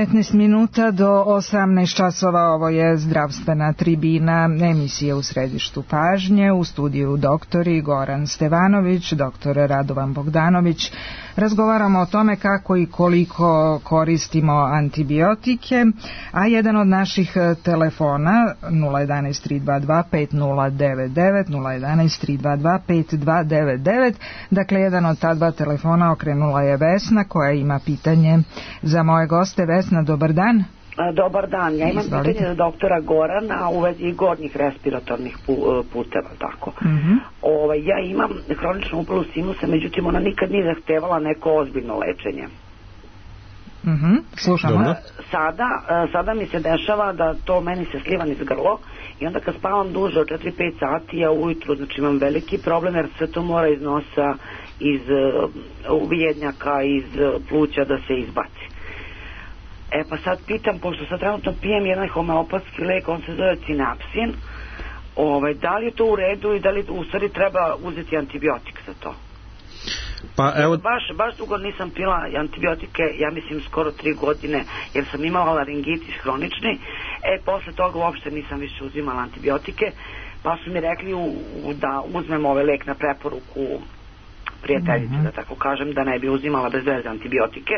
19 minuta do 18 časova, ovo je zdravstvena tribina, emisije u središtu pažnje, u studiju doktori Goran Stevanović, doktor Radovan Bogdanović. Razgovaramo o tome kako i koliko koristimo antibiotike, a jedan od naših telefona 011 322 5099, 011 322 5299, dakle jedan od ta dva telefona okrenula je Vesna koja ima pitanje za moje goste. Vesna, dobar dan. Dobar dan, ja imam pitanje za doktora Gorana u vezi gornjih respiratornih puteva, tako. Ja imam hroničnu upalu sinusa, međutim ona nikad nije zahtevala neko ozbiljno lečenje. Slušamo. Sada mi se dešava da to meni se sliva niz grlo i onda kad spavam duže od 4-5 sati, ja ujutru imam veliki problem jer sve to mora iz nosa, iz uvijednjaka, iz pluća da se izbaci. Pa sad pitam, pošto sad trenutno pijem jedan homeopatski lek, on se zove Cinapsin, da li je to u redu i da li u stvari treba uzeti antibiotik za to? Pa evo... Baš dugo nisam pila antibiotike, ja mislim skoro 3 godine, jer sam imala laringitis hronični, posle toga uopšte nisam više uzimala antibiotike, pa su mi rekli da uzmem ovaj lek na preporuku prijateljice, da tako kažem, da ne bi uzimala bez veze antibiotike.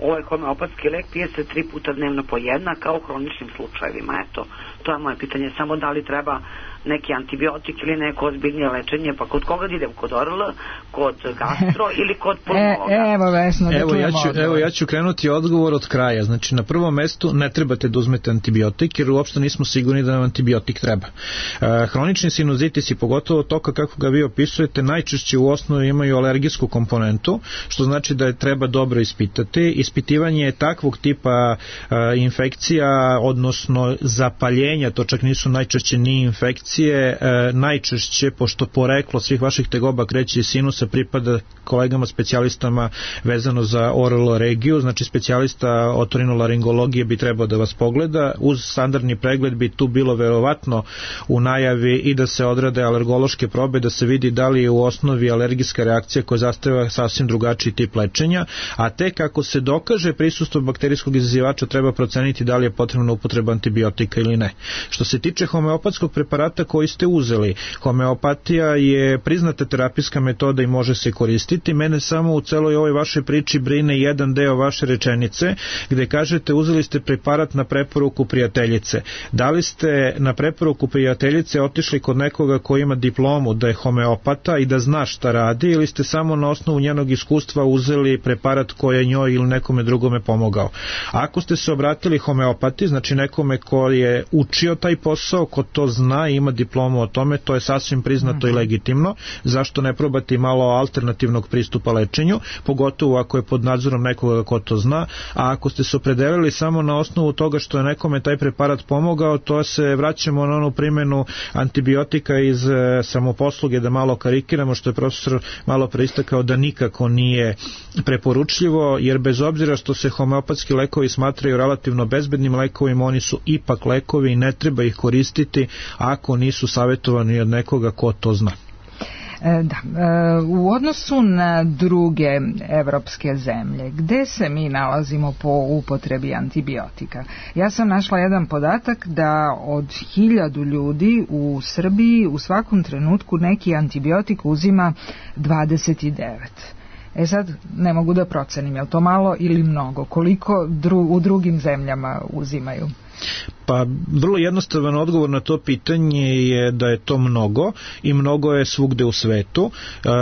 Ovaj homeopatski lek pije se 3 puta dnevno po jedna, kao u hroničnim slučajevima. Eto, to je moje pitanje, samo da li treba neki antibiotik ili neko ozbiljnije lečenje, pa kod koga idem, kod ORL, kod gastro ili kod pulmologa? Evo Vesno, da čujemo odgovor. Ja ću krenuti odgovor od kraja. Znači, na prvom mestu ne trebate da uzmete antibiotik, jer uopšte nismo sigurni da nam antibiotik treba. Hronični sinuzitis i pogotovo toka kako ga vi opisujete, najčešće u osnovi imaju alergijsku komponentu, što znači da je treba dobro ispitati. Ispitivanje takvog tipa infekcija, odnosno zapaljenja, to čak nisu najčešće ni infekcije, najčešće, pošto poreklo svih vaših tegoba kreće iz sinusa, pripada kolegama specijalistama vezano za ORL regiju, znači specijalista otorinolaringologije bi trebao da vas pogleda. Uz standardni pregled bi tu bilo verovatno u najavi i da se odrade alergološke probe, da se vidi da li je u osnovi alergijska reakcija koja zahteva sasvim drugačiji tip lečenja, a tek kako se dokaže prisustvo bakterijskog izazivača treba proceniti da li je potrebna upotreba antibiotika ili ne. Što se tiče homeopatskog preparata koji ste uzeli, homeopatija je priznata terapijska metoda i može se koristiti. Mene samo u celoj ovoj vašoj priči brine jedan deo vaše rečenice gde kažete uzeli ste preparat na preporuku prijateljice. Da li ste na preporuku prijateljice otišli kod nekoga ko ima diplomu da je homeopata i da zna šta radi, ili ste samo na osnovu njenog iskustva uzeli preparat koji je njoj ili nekome drugome pomogao? Ako ste se obratili homeopati, znači nekome ko je učio taj posao, ko to zna i ima diplomu o tome, to je sasvim priznato i legitimno. Zašto ne probati malo alternativnog pristupa lečenju, pogotovo ako je pod nadzorom nekoga ko to zna, a ako ste se opredelili samo na osnovu toga što je nekome taj preparat pomogao, to se vraćamo na onu primjenu antibiotika iz samoposluge, da malo karikiramo, što je profesor malo preistakao da nikako nije preporučljivo, jer bez obzira što se homeopatski lekovi smatraju relativno bezbednim lekovima, oni su ipak lekovi i ne treba ih koristiti ako nisu savjetovani od nekoga ko to zna. U odnosu na druge evropske zemlje, gde se mi nalazimo po upotrebi antibiotika? Ja sam našla jedan podatak da od 1000 ljudi u Srbiji u svakom trenutku neki antibiotik uzima 29. Sad ne mogu da procenim, je li to malo ili mnogo? Koliko u drugim zemljama uzimaju? Pa vrlo jednostavan odgovor na to pitanje je da je to mnogo i mnogo je svugde u svetu,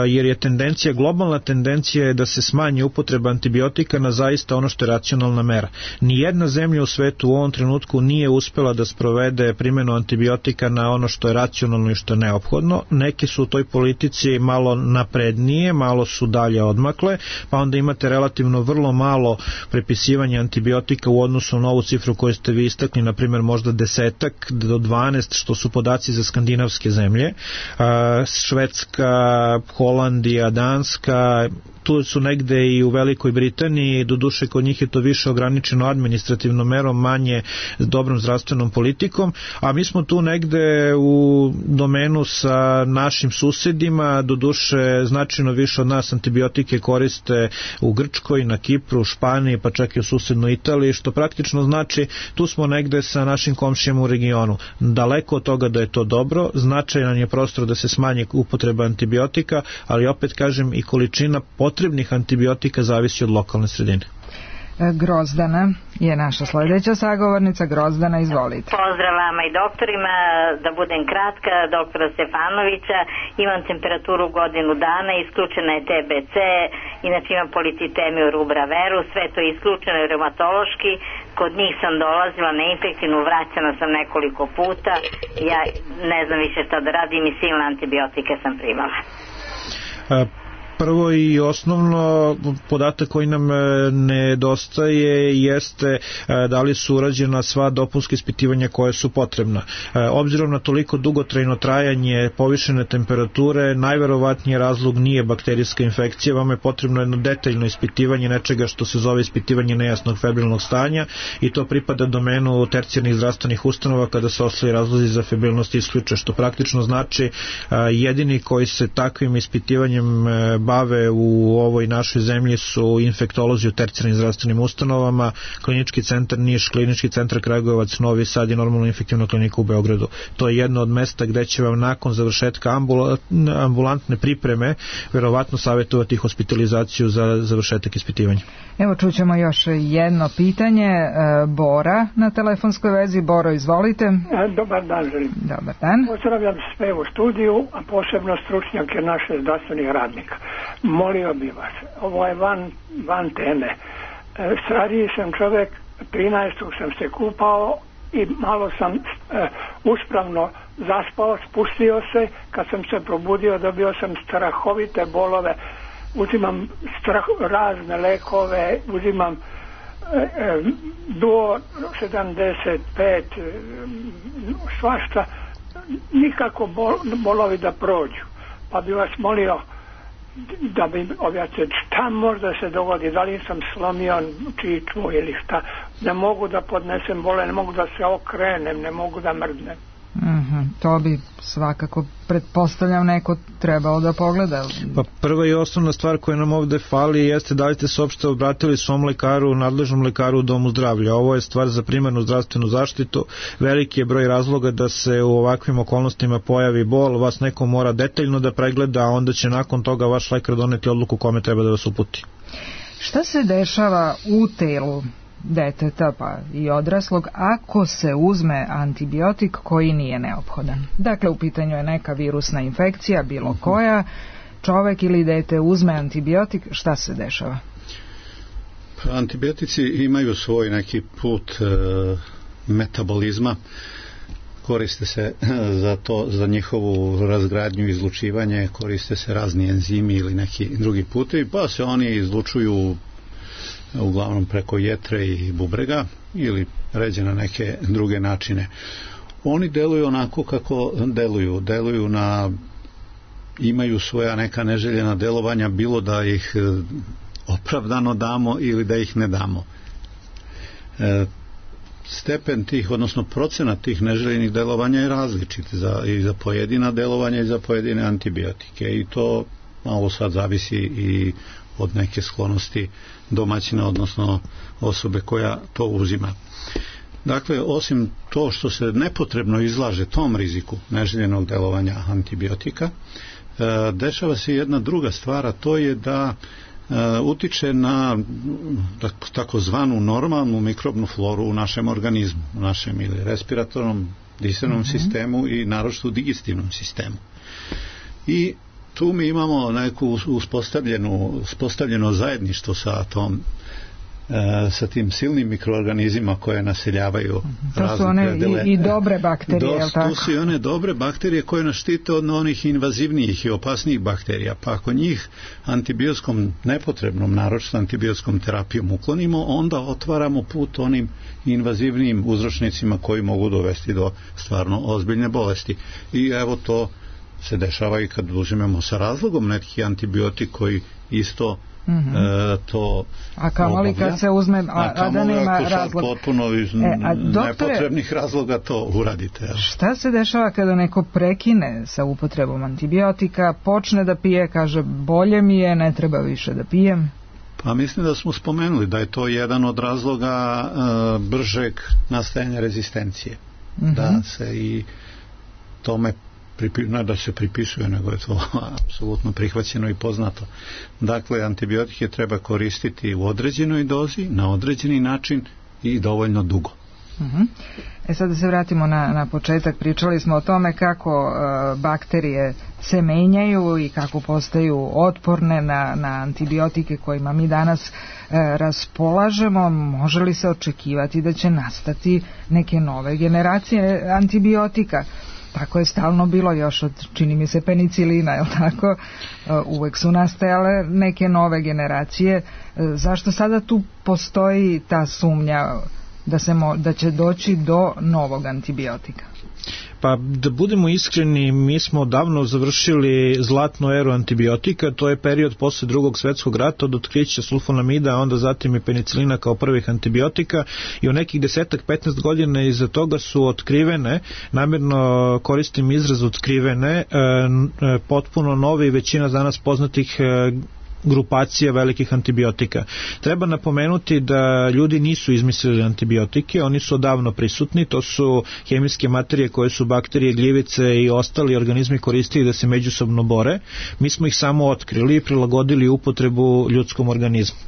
jer je tendencija, globalna tendencija je da se smanji upotreba antibiotika na zaista ono što je racionalna mera. Nijedna zemlja u svetu u ovom trenutku nije uspela da sprovede primjenu antibiotika na ono što je racionalno i što je neophodno. Neke su u toj politici malo naprednije, malo su dalje odmakle, pa onda imate relativno vrlo malo prepisivanja antibiotika u odnosu na ovu cifru koju ste vi istakli, na primjer možda 10 do 12, što su podaci za skandinavske zemlje. Švedska, Holandija, Danska, tu su negde i u Velikoj Britaniji, doduše kod njih je to više ograničeno administrativnom merom, manje dobrom zdravstvenom politikom, a mi smo tu negde u domenu sa našim susedima, doduše značajno više od nas antibiotike koriste u Grčkoj, na Kipru, Španiji, pa čak i u susednoj Italiji, što praktično znači tu smo negde sa našim komšijama u regionu. Daleko od toga da je to dobro, značajan je prostor da se smanji upotreba antibiotika, ali opet kažem i količina potrebnih antibiotika zavisi od lokalne sredine. Grozdana je naša sledeća sagovornica. Grozdana, izvolite. Pozdrav vama i doktorima, da budem kratka, doktora Stefanovića, imam temperaturu godinu dana, isključena je TBC, inače imam policitemiju rubra veru, sve to je isključeno i reumatološki, kod njih sam dolazila na infektivnu, vraćana sam nekoliko puta, ja ne znam više šta da radim i silne antibiotike sam primala. Prvo i osnovno podatak koji nam nedostaje jeste da li su urađena sva dopunska ispitivanja koje su potrebna. Obzirom na toliko dugotrajno trajanje povišene temperature, najverovatnije razlog nije bakterijska infekcija, vam je potrebno jedno detaljno ispitivanje nečega što se zove ispitivanje nejasnog febrilnog stanja i to pripada domenu tercijarnih zdravstvenih ustanova kada se ostali razlozi za febrilnost isključe, što praktično znači jedini koji se takvim ispitivanjem bave u ovoj našoj zemlji su infektolozi u tercijarnim zdravstvenim ustanovama, klinički centar Niš, klinički centar Kragujevac, Novi Sad i normalno infektivna klinika u Beogradu. To je jedno od mesta gde će vam nakon završetka ambulantne pripreme verovatno savjetovati hospitalizaciju za završetak ispitivanja. Evo čućemo još jedno pitanje. Bora na telefonskoj vezi. Boro, izvolite. Dobar dan, želim. Dobar dan. Pozdravljam sve u studiju, a posebno stručnjake naše zdravstvenih radnika. Molio bi vas, ovo je van teme. Stariji sam čovjek, 13. sam se kupao i malo sam uspravno zaspao, spustio se, kad sam se probudio dobio sam strahovite bolove, uzimam razne lekove, uzimam Duo 75, svašta, nikako bolovi da prođu. Pa bi vas molio da bi objasnili šta možda se dogodi, da li sam slomio čičmu ili šta, ne mogu da podnesem bole, ne mogu da se okrenem, ne mogu da mrdnem. To bi svakako, pretpostavljam, neko trebao da pogleda. Pa prva i osnovna stvar koja nam ovde fali jeste da li ste se uopšte obratili svom lekaru, nadležnom lekaru u domu zdravlja. Ovo je stvar za primarnu zdravstvenu zaštitu. Veliki je broj razloga da se u ovakvim okolnostima pojavi bol, vas neko mora detaljno da pregleda, a onda će nakon toga vaš lekar doneti odluku kome treba da vas uputi. Šta se dešava u telu deteta pa i odraslog ako se uzme antibiotik koji nije neophodan? Dakle, u pitanju je neka virusna infekcija, bilo koja, čovek ili dete uzme antibiotik, šta se dešava? Antibiotici imaju svoj neki put metabolizma, koriste se za to, za njihovu razgradnju i izlučivanje, koriste se razni enzimi ili neki drugi putevi, pa se oni izlučuju uglavnom preko jetre i bubrega ili ređe na neke druge načine. Oni deluju onako kako deluju na, imaju svoja neka neželjena delovanja, bilo da ih opravdano damo ili da ih ne damo. Stepen tih, odnosno procenat tih neželjenih delovanja je različit i za pojedina delovanja i za pojedine antibiotike i to malo sad zavisi i od neke sklonosti domaćina, odnosno osobe koja to uzima. Dakle, osim to što se nepotrebno izlaže tom riziku neželjenog delovanja antibiotika, dešava se jedna druga stvar, a to je da utiče na takozvanu normalnu mikrobnu floru u našem organizmu, u našem ili respiratornom, disajnom sistemu i naročito digestivnom sistemu. I tu mi imamo neku uspostavljeno zajedništvo sa tim silnim mikroorganizmima koje naseljavaju to su one i dobre bakterije, to su i one dobre bakterije koje nas štite od onih invazivnijih i opasnijih bakterija, pa ako njih antibiotskom nepotrebnom, naročito antibiotskom terapijom uklonimo, onda otvaramo put onim invazivnijim uzročnicima koji mogu dovesti do stvarno ozbiljne bolesti. I evo to se dešava i kad uzimemo sa razlogom neki antibiotik koji isto to... A kamoli kad se uzme, a da nema razloga. Potpuno nepotrebnih razloga to uradite. Šta se dešava kada neko prekine sa upotrebom antibiotika, počne da pije, kaže bolje mi je, ne treba više da pijem? Pa mislim da smo spomenuli da je to jedan od razloga bržeg nastajanja rezistencije. Da se i tome ne da se pripisuje, nego je to apsolutno prihvaćeno i poznato. Dakle, antibiotike treba koristiti u određenoj dozi, na određeni način i dovoljno dugo. Sad da se vratimo na početak. Pričali smo o tome kako bakterije se menjaju i kako postaju otporne na antibiotike kojima mi danas raspolažemo. Može li se očekivati da će nastati neke nove generacije antibiotika? Tako je stalno bilo još od, čini mi se, penicilina, je li tako? Uvek su nastajale neke nove generacije. Zašto sada tu postoji ta sumnja da će doći do novog antibiotika? Pa da budemo iskreni, mi smo davno završili zlatnu eru antibiotika, to je period posle Drugog svjetskog rata od otkrića sulfonamida, a onda zatim i penicilina kao prvih antibiotika i u nekih 10-15 godina iza toga su otkrivene, namjerno koristim izraz otkrivene, potpuno nove i većina danas poznatih grupacija velikih antibiotika. Treba napomenuti da ljudi nisu izmislili antibiotike, oni su odavno prisutni, to su hemijske materije koje su bakterije, gljivice i ostali organizmi koristili da se međusobno bore. Mi smo ih samo otkrili i prilagodili upotrebu ljudskom organizmu.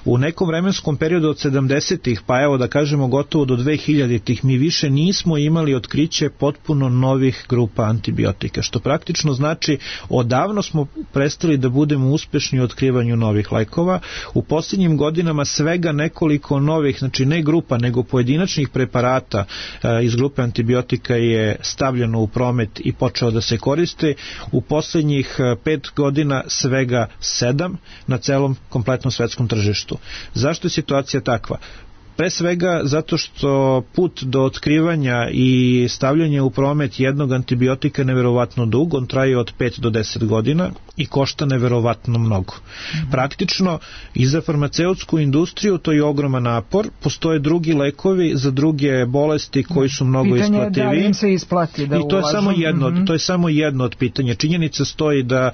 U nekom vremenskom periodu od 70-ih, pa evo da kažemo gotovo do 2000-ih, mi više nismo imali otkriće potpuno novih grupa antibiotika, što praktično znači odavno smo prestali da budemo uspešni u otkrivanju novih lekova. U posljednjim godinama svega nekoliko novih, znači ne grupa, nego pojedinačnih preparata iz grupe antibiotika je stavljeno u promet i počeo da se koriste. U posljednjih 5 godina svega 7 na celom kompletnom svetskom tržištu. Zašto je situacija takva? Pre svega zato što put do otkrivanja i stavljanja u promet jednog antibiotika je neverovatno dug, on traje od 5 do 10 godina i košta neverovatno mnogo. Praktično i za farmaceutsku industriju to je ogroman napor, postoje drugi lekovi za druge bolesti koji su mnogo isplativiji. Pitanje je da im se isplati da ulažu. I to je samo jedno od pitanja. Činjenica stoji da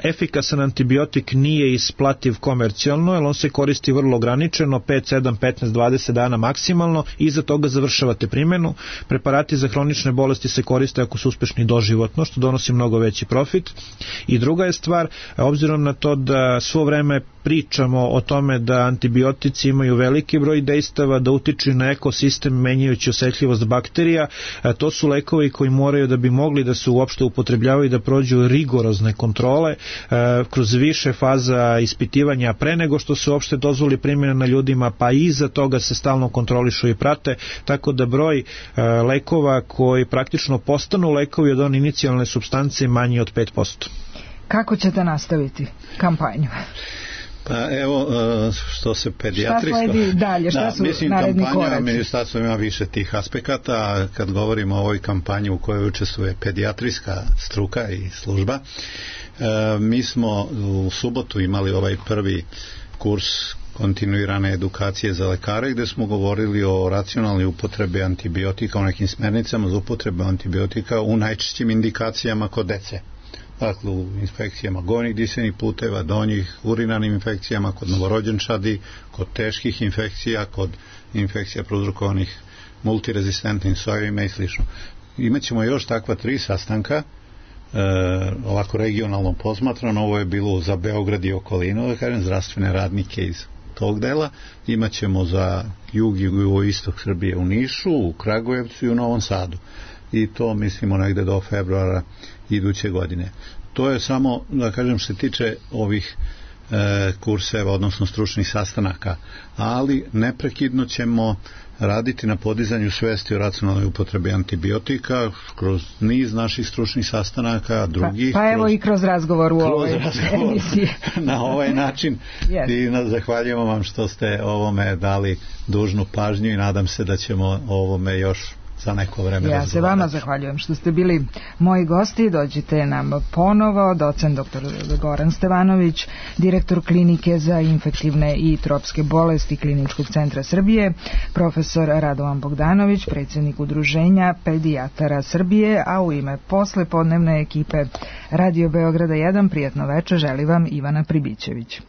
efikasan antibiotik nije isplativ komercijalno, jer on se koristi vrlo ograničeno, 5, 7, 15, 20 dana maksimalno i iza toga završavate primjenu. Preparati za hronične bolesti se koriste ako su uspešni doživotno, što donosi mnogo veći profit. I druga je stvar, obzirom na to da svo vreme pričamo o tome da antibiotici imaju veliki broj dejstava, da utiču na ekosistem menjajući osetljivost bakterija, to su lekovi koji moraju da bi mogli da se uopšte upotrebljavaju da prođu rigorozne kontrole kroz više faza ispitivanja pre nego što se uopšte dozvoli primjena na ljudima, pa iza toga se stalno kontrolišu i prate, tako da broj lekova koji praktično postanu lekovi od one inicijalne supstance manji od 5%. Kako ćete nastaviti kampanju? Pa evo, što se pedijatrisko... Šta sledi dalje? Šta su naredni koraci? Kampanja ministarstva ima više tih aspekata. Kad govorimo o ovoj kampanji u kojoj učestvuje pedijatrijska struka i služba, mi smo u subotu imali ovaj prvi kurs kontinuirane edukacije za lekare gdje smo govorili o racionalnoj upotrebi antibiotika, o nekim smernicama za upotrebu antibiotika u najčešćim indikacijama kod dece. Dakle, u infekcijama gornjih disajnih puteva, donjih, urinarnim infekcijama, kod novorođenčadi, kod teških infekcija, kod infekcija prouzrokovanih multirezistentnim sojevima i sl. Imaćemo još takva 3 sastanka, ovako regionalno posmatrano. Ovo je bilo za Beograd i okolinu, da kažem, zdravstvene radnike iz tog dela. Imaćemo za jug i jugoistok Srbije u Nišu, u Kragujevcu i u Novom Sadu. I to mislimo negde do februara iduće godine. To je samo, da kažem, što se tiče ovih kurseva, odnosno stručnih sastanaka, ali neprekidno ćemo raditi na podizanju svesti o racionalnoj upotrebi antibiotika kroz niz naših stručnih sastanaka, drugih. Pa evo i kroz razgovor u ovoj emisiji. Na ovaj način. I zahvaljujemo vam što ste ovome dali dužnu pažnju i nadam se da ćemo ovome još za neko vreme razgovarati. Ja se vama zahvaljujem što ste bili moji gosti. Dođite nam ponovo. Docent dr. Goran Stevanović, direktor Klinike za infektivne i tropske bolesti Kliničkog centra Srbije, profesor Radovan Bogdanović, predsjednik Udruženja pedijatara Srbije, a u ime poslepodnevne ekipe Radio Beograda 1 prijatno večer želi vam Ivana Pribićević.